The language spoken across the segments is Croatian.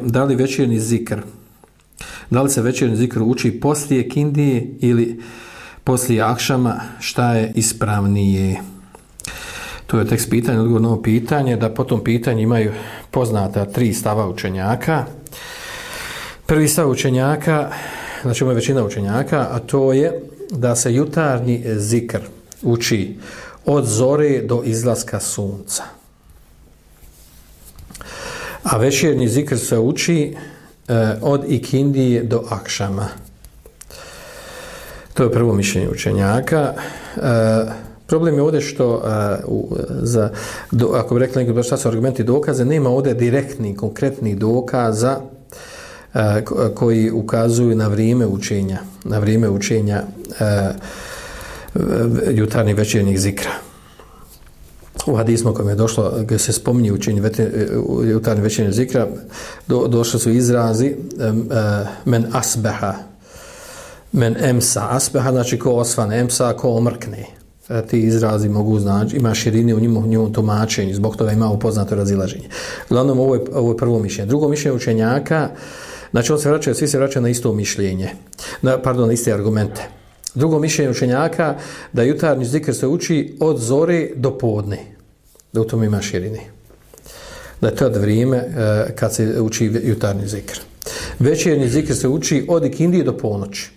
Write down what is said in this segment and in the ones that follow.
Da li večernji zikr, da li se večernji zikr uči poslije kindije ili poslije akšama, šta je ispravnije? To je tekst pitanja, odgovor na ovo pitanje, da po tom pitanju imaju poznata 3 stava učenjaka. Prvi stav učenjaka, znači ima većina učenjaka, a to je da se jutarnji zikr uči od zore do izlaska sunca. A večernji zikr se uči od ikindije do akšama. To je prvo mišljenje učenjaka. Problem je ovdje što ako bi rekli neki šta su argumenti dokaze, nema ovdje direktnih, konkretnih dokaza koji ukazuju na vrijeme učenja jutarnjih večernjih zikra. U hadismu kojem je došlo, gdje se spominje učenje jutarnjih večernjih zikra, došli su izrazi men asbeha, men emsa. Asbeha znači ko osvane, emsa ko omrkne. Ti izrazi mogu znači, ima širine u njemu tumačenju, zbog toga ima upoznato razilaženje. Uglavnom, ovo je prvo mišljenje. Drugo mišljenje učenjaka, znači svi se vraćaju na isto mišljenje, na iste argumente. Drugo mišljenje učenjaka da jutarnji zikr se uči od zore do podne, da u tom ima širine. Da je to vrijeme kad se uči jutarnji zikr. Večernji zikr se uči od ikindije do ponoći.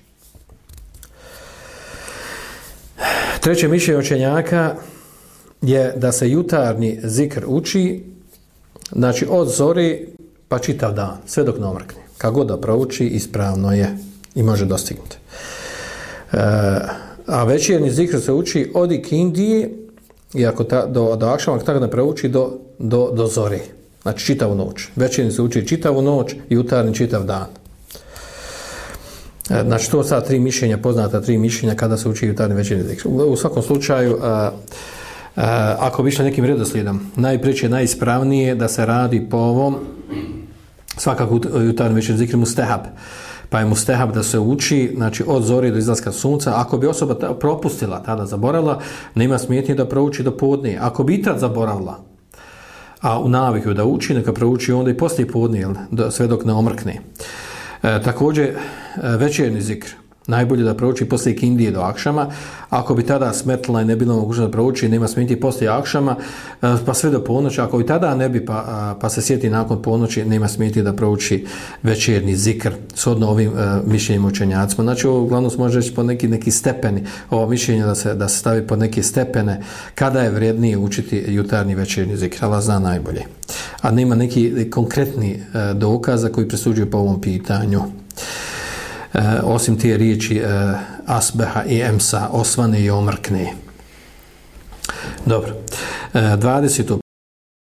Treće mišljenje učenjaka je da se jutarnji zikr uči, znači od zore pa čitav dan, sve dok ne omrkne. Kako god da prouči, ispravno je i može dostignuti. A večernji zikr se uči od ikindije i ako do akšama, tako da prouči do zore, znači čitavu noć. Večernji se uči čitavu noć, jutarnji čitav dan. Znači to sad 3 mišljenja, poznata 3 mišljenja kada se uči jutarnji večernji zikr. U svakom slučaju, ako bi išli nekim redoslijedom, najpreće, najispravnije da se radi po ovom, svakako jutarnji večernji zikr mustehab. Pa je mustehab da se uči, znači od zore do izlaska sunca. Ako bi osoba propustila, tada zaboravila, nema smetnje da prouči do podne. Ako bi i tad zaboravila, a u naviku da uči, neka prouči onda i poslije podne, sve dok ne omrkne. Također, večernji zikr najbolje da prouči poslije ikindije do akšama. Ako bi tada smetila i ne bilo mogućno da prouči, nema smetnje poslije akšama, pa sve do ponoći. Ako i tada ne bi, pa se sjeti nakon ponoći, nema smetnje da prouči večernji zikr shodno ovim mišljenjima učenjacima. Znači, ovo uglavnom se može reći po neki stepeni, ovo mišljenje da se stavi po neke stepene kada je vrijednije učiti jutarnji večernji zikr. Allah zna najbolje. A nema neki konkretni dokaza koji presuđuju po ovom pitanju. Osim te riječi asbeha i emsa, osvane i omrkne. Dobro. 20.